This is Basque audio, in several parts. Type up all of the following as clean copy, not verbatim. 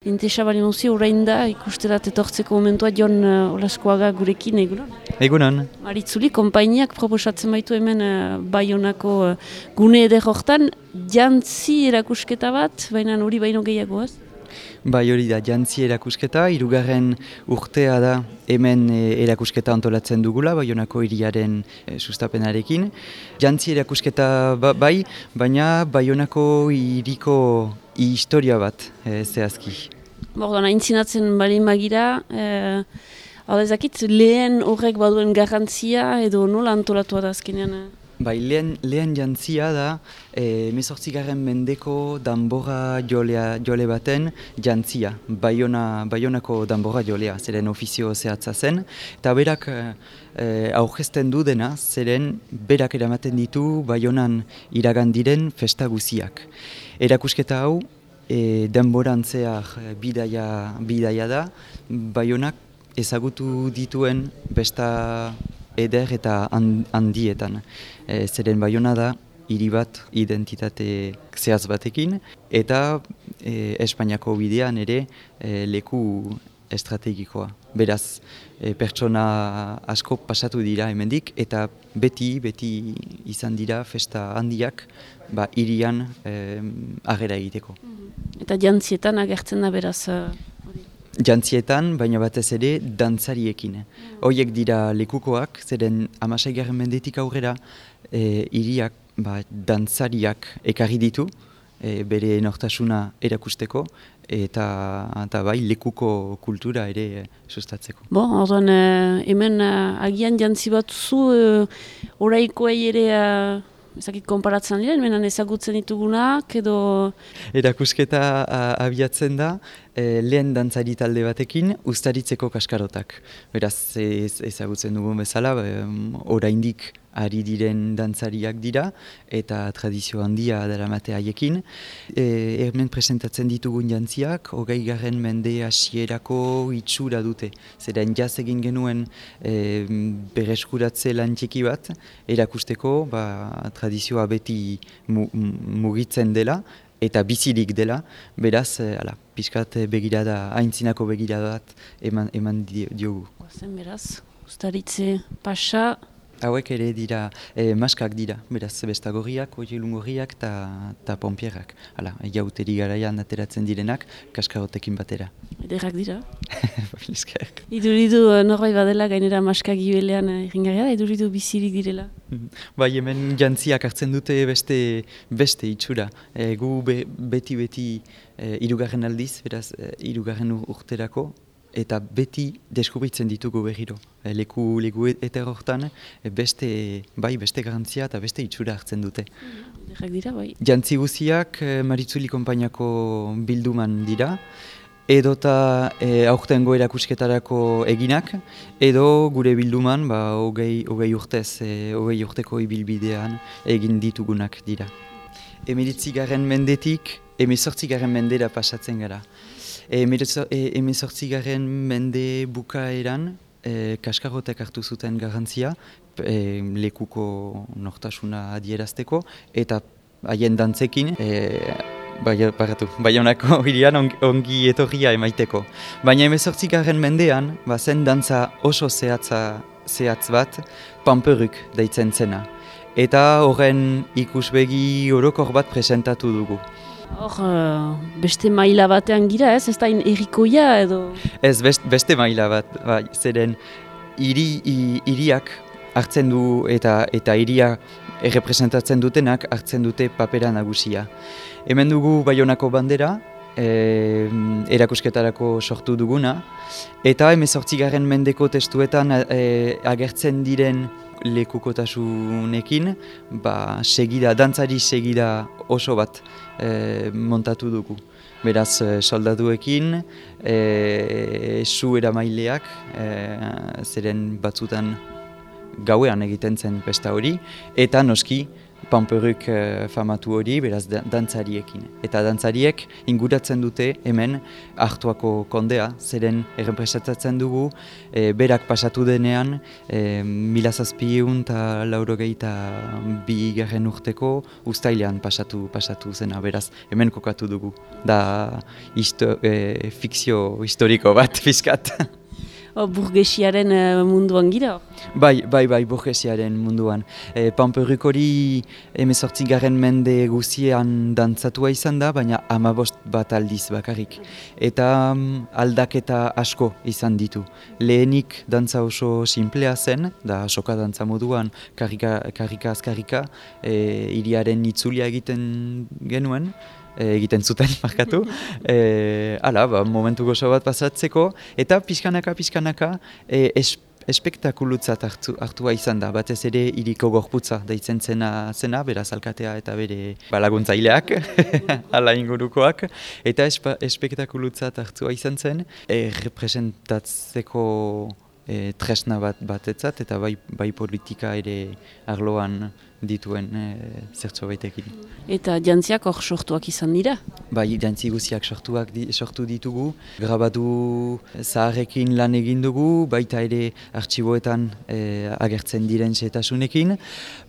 Intesa bali mauzi orain da ikusterat etortzeko momentua Jon Olaskoaga gurekin egunon. Egunon. Maritzuli, konpainiak proposatzen baitu hemen Baionako gune eder hortan, jantzi erakusketa bat, baina hori baino gehiago ez? Bai, hori da, jantzi erakusketa, 3. urtea da hemen erakusketa antolatzen dugula, Baionako hiriaren sustapenarekin. Jantzi erakusketa bai, baina Baionako hiriko historia bat zehazki. Bordan, aintzinatzen balin magira, hau ezakit lehen horrek baduen garrantzia edo nola antolatua da azkenean? Bai, lehen jantzia da 18. mendeko danbora jole baten jantzia, Baionako danbora jolea, zeren ofizio zehatza zen, eta berak aurkezten du dena, zeren berak eramaten ditu Baionan iragan diren festa guziak. Erakusketa hau, denborantzeak bidaia da, Baionak ezagutu dituen besta eder eta handietan. Zeren Baiona da hiri bat identitate zehaz batekin eta Espainiako bidean ere leku estrategikoa. Beraz, pertsona asko pasatu dira hemendik eta beti izan dira festa handiak hirian agera egiteko. Eta jantzietan agertzen da beraz? Jantzietan, baina batez ere, dantzariekin. Horiek dira lekukoak, zeren 16. mendetik aurrera hiriak dantzariak ekarri ditu, bere nortasuna erakusteko, eta bai lekuko kultura ere sustatzeko. Orduan, hemen agian jantzi bat zu, oraikoei ere ezakit konparatzen diren, menan ezagutzen ditugunak edo... Erakusketa abiatzen da, lehen dantzari talde batekin uztaritzeko kaskarotak. Beraz, ezagutzen dugun bezala, oraindik ari diren dantzariak dira eta tradizio handia daramate haiekin. Hemen presentatzen ditugun jantziak, 20. mende hasierako itxura dute. Zeren jaz egin genuen bereskuratze lan txiki bat, erakusteko tradizioa beti mugitzen dela eta bizirik dela, beraz, pixkat begirada, aintzinako begirada bat eman diogu. Zen beraz, uztaritze pasa... Hauek ere dira, maskak dira, beraz, bestagorriak, oielungorriak eta pompierrak. Jauteri garaian ateratzen direnak, kaskarotekin batera. Ederrak dira? Esker. Iduridu norbait badela gainera maskak gibelean irringarria da, iduridu bizirik direla? Bai, hemen jantziak hartzen dute beste itxura. Gu beti 3. aldiz, beraz, 3. urterako, eta beti deskubritzen ditugu berriro. Leku eta horretan beste garantzia eta beste itxura hartzen dute. Ederrak dira, bai. Jantzi guziak Maritzuli konpainiako bilduman dira, edota aurtengo erakusketarako eginak, edo gure bilduman 20 urtez, 20 urteko ibilbidean egin ditugunak dira. 19. mendetik 18. mendera pasatzen gara. 18. mende bukaeran kaskarotek hartu zuten garrantzia lekuko nortasuna adierazteko eta haien dantzekin Baionako hirian ongi etorria emaiteko. Baina 18. mendean zen dantza oso zehatz bat pamperuk deitzen zena. Eta horren ikusbegi orokor bat presentatu dugu. Hor, beste maila batean gira ez da errikoia edo? Ez, beste maila bat, zeren hiriak hartzen du eta hiria errepresentatzen dutenak hartzen dute papera nagusia. Hemen dugu Baionako bandera, erakusketarako sortu duguna, eta 18. mendeko testuetan agertzen diren lekukotasunekin, dantzari segida oso bat montatu dugu. Beraz, soldatuekin, su eramaileak, zeren batzutan gauean egiten zen festa hori, eta noski panperuk famatu hori, beraz dantzariekin. Eta dantzariek inguratzen dute hemen Artoako kondea, zeren errepresentatzen dugu, berak pasatu denean, 1782 urteko uztailean pasatu zena, beraz hemen kokatu dugu. Da fikzio historiko bat, fiskat. Burgesiaren munduan gira? Bai, burgesiaren munduan. Panperuk hori 18. mende guztiean dantzatua izan da, baina 15 bat aldiz bakarrik. Eta aldaketa asko izan ditu. Lehenik dantza oso simplea zen, da soka dantza moduan, karrika-azkarrika, hiriaren itzulia egiten genuen, egiten zuten, markatu. Momentu gozo bat pasatzeko, eta pixkanaka espektakulutzat hartua izan da. Batez ere hiriko gorputza deitzen zena, beraz alkatea eta bere laguntzaileak, ala ingurukoak. Eta espektakulutzat hartua izan zen, representatzeko tresna batetzat, eta bai politika ere arloan dituen zertxo baitekin. Eta jantziak hor sortuak izan dira? Bai, jantzi guziak sortu ditugu. Grabatu zaharrekin lan egin dugu, baita ere artxiboetan agertzen diren xehetasunekin,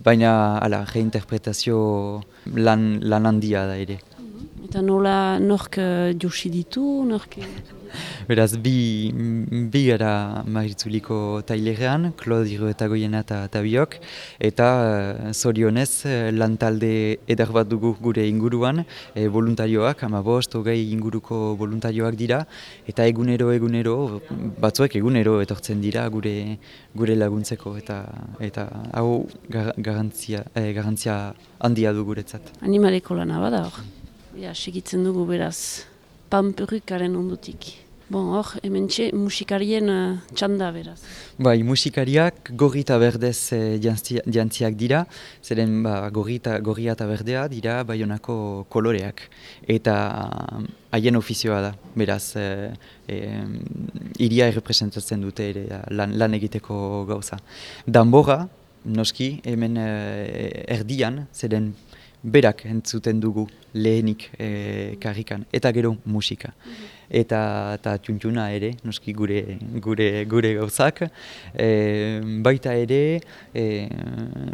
baina reinterpretazio lan handia da ere. Eta nola nork josi ditu? Beraz, bi gara Maritzuliko tailerean, Claude Iruetagoiena eta biok, eta zorionez lantalde eder bat dugu gure inguruan, voluntarioak, 15-20 inguruko voluntarioak dira, eta egunero, batzuek egunero etortzen dira gure laguntzeko, eta hau garantzia handia du guretzat. Animaleko lana bada hor? Segitzen dugu beraz, panperukaren ondutik. Hor, hementxe musikarien txanda beraz. Bai, musikariak gorri eta berdez jantziak dira, zeren gorria eta berdea dira Baionako koloreak. Eta haien ofizioa da, beraz, hiria errepresentatzen dute ere lan egiteko gauza. Danborra, noski, hemen erdian, zeren berak entzuten dugu lehenik karrikan, eta gero musika. Eta txuntxuna ere, noski gure gauzak, baita ere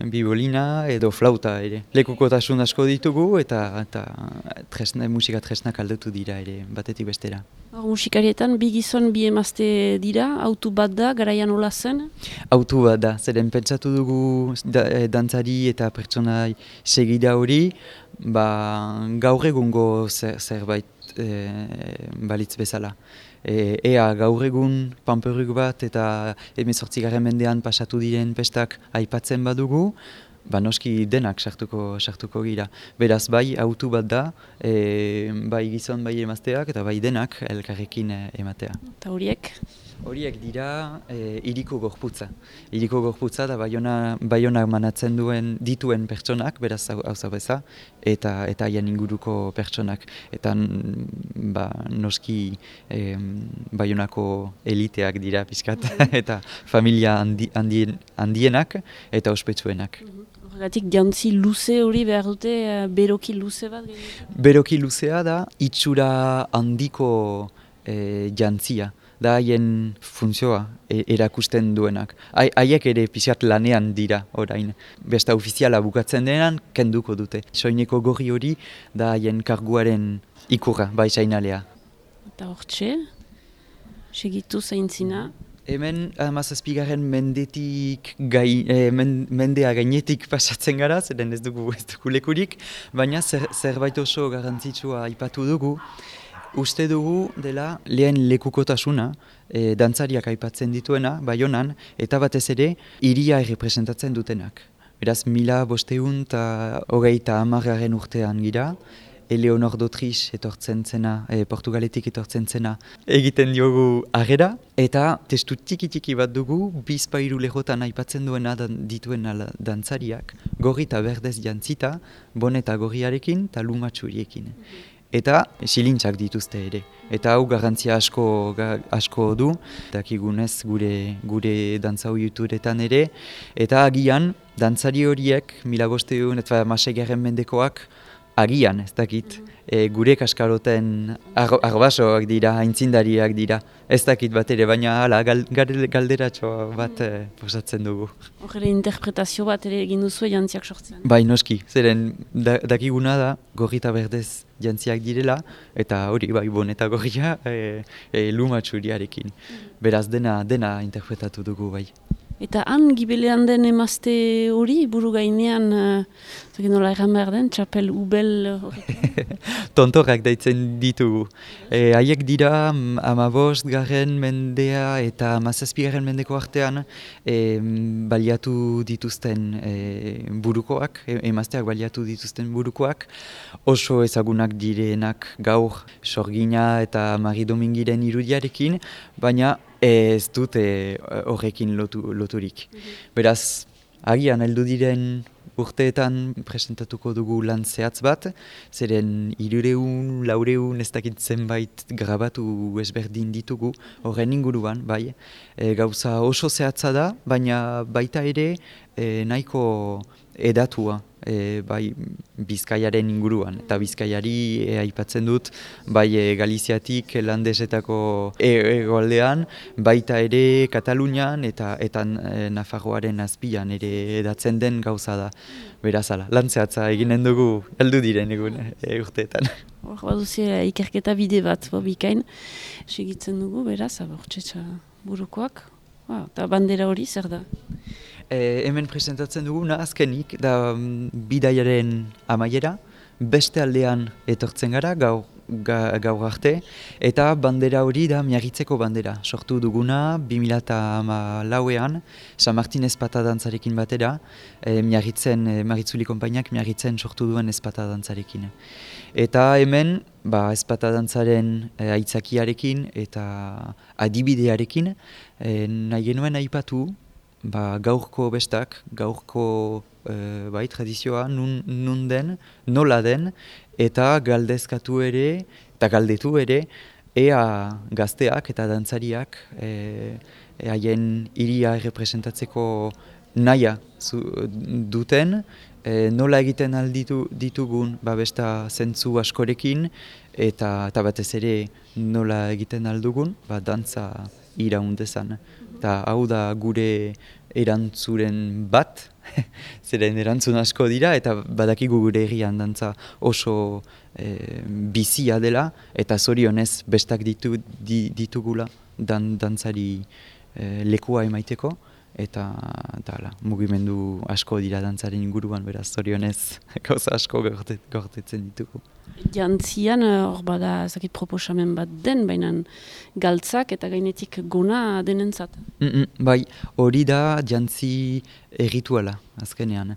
bibolina edo flauta ere. Lekukotasun asko ditugu eta musika tresnak aldatu dira ere, batetik bestera. Musikarietan bi gizon bi emazte dira, autu bat da, garaian hola zen? Autu bat da, zeren pentsatu dugu dantzari eta pertsona segida hori, gaur egungo zerbait balitz bezala. Ea gaur egun panperuk bat eta 18. mendean pasatu diren pestak aipatzen badugu, noski denak sartuko gira. Beraz bai autu bat da, bai gizon bai emazteak eta bai denak elkarrekin ematea. Eta horiek? Horiek dira hiriko gorputza. Hiriko gorputza da Baionak manatzen dituen pertsonak, beraz hauza beza, eta haien inguruko pertsonak. Eta noski Baionako eliteak dira pixkat, eta familia handienak eta ospetsuenak. Horregatik jantzi luze hori behar dute, beroki luze bat? Beroki luzea da itxura handiko jantzia. Da haien funtzioa erakusten duenak. Haiek ere pixat lanean dira orain. Besta ofiziala bukatzen denean, kenduko dute. Soineko gorri hori da haien karguaren ikurra, bai sainalea. Eta hortxe, segitu zaintzina. Hemen 17. mendetik mendea gainetik pasatzen gara, zeren ez dugu lekurik, baina zerbait oso garrantzitsua aipatu dugu. Uste dugu dela lehen lekukotasuna, dantzariak aipatzen dituena, Baionan, eta batez ere, hiria errepresentatzen dutenak. Beraz, 1580 urtean gira, Eleonor d'Autriche etortzen zena, Portugaletik etortzen zena, egiten diogu agera, eta testu tiki bat dugu, bizpairu lehotan aipatzen dituen dantzariak, gorri eta berdez jantzita, boneta gorriarekin eta lumatxuriekin. eta silintzak dituzte ere. Eta hau garrantzia asko du, dakigunez gure dantza ohituretan ere, eta agian dantzari horiek 1500 eta 16. mendekoak agian, ez dakit, gure kaskaroten arbasoak dira, aintzindariak dira, ez dakit bat ere, baina hala, galderatxo bat posatzen dugu. Horre interpretazio bat ere egin duzu jantziak sortzen. Bai, noski, zeren dakiguna da, gorri eta berdez jantziak direla, eta hori, bai, bon eta gorria lumatxuriarekin. Beraz, dena interpretatu dugu, bai. Eta han gibelean den emazte hori, buru gainean, nola erran behar den, txapel ubel horrekin? Tontorrak daitzen ditugu. Haiek dira 15. mendea eta 17. mendeko artean baliatu dituzten burukoak, emazteak baliatu dituzten burukoak, oso ezagunak direnak gaur Sorgina eta Mari Domingiren irudiarekin, baina ez dute horrekin loturik. Beraz, agian heldu diren urteetan presentatuko dugu lan zehatz bat, zeren 300, 400, ez dakit zenbait grabatu ezberdin ditugu horren inguruan, bai. Gauza oso zehatza da, baina baita ere nahiko edatua. Bai Bizkaiaren inguruan, eta Bizkaiari aipatzen dut, bai Galiziatik landesetako hegoaldean, baita ere Katalunian eta Nafarroaren azpian ere edatzen den gauza da. Beraz ala, lan zehatza eginen dugu heldu diren egun urteetan. Hor baduzia ikerketa bide bat, bikain, segitzen dugu, beraz, abortxetxa burukoak, eta bandera hori zer da? Hemen presentatzen duguna azkenik da bidaiaren amaiera, beste aldean etortzen gara gaur arte, eta bandera hori da Miarritzeko bandera. Sortu duguna 2014an, San Martin ezpata dantzarekin batera, Maritzuli konpainiak Miarritzen sortu duen ezpata dantzarekin. Eta hemen ezpata dantzaren aitzakiarekin eta adibidearekin nahi genuen aipatu, gaurko bestak, gaurko tradizioa nun den, nola den, eta galdezkatu ere, eta galdetu ere, ea gazteak eta dantzariak haien hiria errepresentatzeko nahia duten, nola egiten ditugun besta zentzu askorekin, eta batez ere nola egiten aldugun, dantza iraundezan. Eta hau da gure erantzuren bat, zeren erantzun asko dira, eta badakigu gure herrian dantza oso bizia dela, eta zorionez bestak ditugula dantzari lekua emaiteko, eta mugimendu asko dira dantzaren inguruan, beraz zorionez gauza asko gortetzen ditugu. Jantzian hor bada ezakit proposamen bat den, baina galtzak eta gainetik gona denentzat. Bai, hori da jantzi errituala azkenean.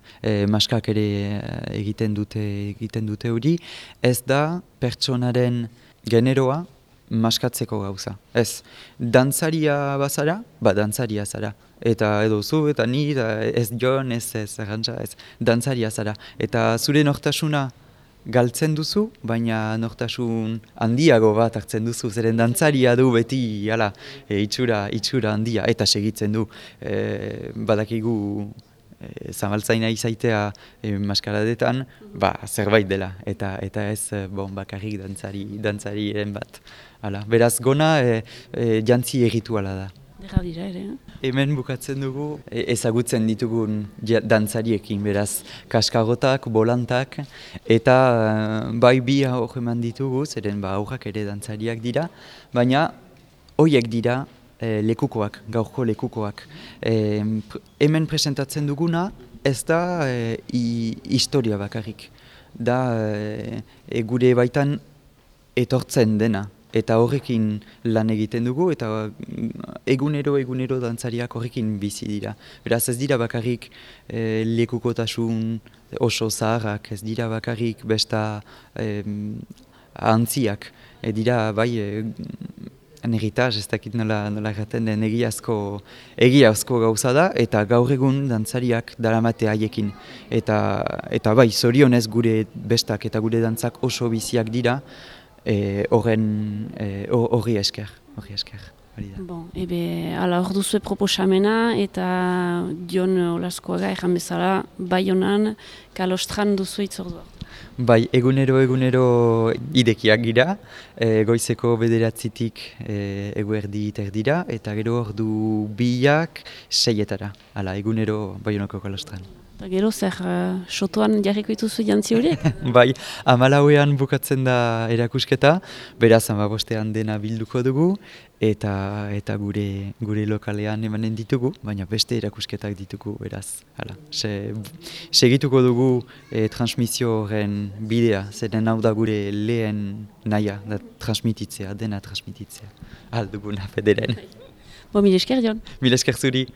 Maskak ere egiten dute hori. Ez da pertsonaren generoa maskatzeko gauza. Ez, dantzaria bazara, dantzaria zara. Eta edo zu, eta ni, ez jon, ez arrantza, ez dantzaria zara. Eta zure nortasuna galtzen duzu, baina nortasun handiago bat hartzen duzu, zeren dantzaria du beti itxura handia, eta segitzen du. Badakigu zamaltzaina izaitea maskaradetan, zerbait dela, eta ez bakarrik dantzariren bat. Beraz gona jantzi errituala da. Dera dira ere, Hemen bukatzen dugu ezagutzen ditugun dantzariekin, beraz kaskarotak, bolantak, eta bi hor eman ditugu, zeren aurrak ere dantzariak dira, baina horiek dira lekukoak, gaurko lekukoak. Hemen presentatzen duguna ez da historia bakarrik, da gure baitan etortzen dena. Eta horrekin lan egiten dugu, eta egunero dantzariak horrekin bizi dira. Beraz ez dira bakarrik lekukotasun oso zaharrak, ez dira bakarrik besta antziak. Dira Negitas, ez dakit nola gaten den egiazko gauza da, eta gaur egun dantzariak daramate haiekin. Eta bai, zorionez gure bestak eta gure dantzak oso biziak dira, horri esker. Bon, ala hor duzue proposamena eta Jon Olaskoaga erran bezala Baionan Kalostran duzu itzordua. Bai, egunero idekiak gira, goizeko 9:00 eguerdi terdira, eta gero ordu 2 6:00, hala, egunero Baionako Kalostran. Eta gero zer, sotoan jarriko dituzu jantzi horiek? Bai, 14:00 bukatzen da erakusketa, beraz 15:00 dena bilduko dugu, eta gure lokalean emanen ditugu, baina beste erakusketak ditugu, beraz. Hala, segituko dugu transmisio horren bidea, zeren hau da gure lehen nahia, dena transmititzea. Alduguna, federen. Mil esker, Jon. Mil esker zuri.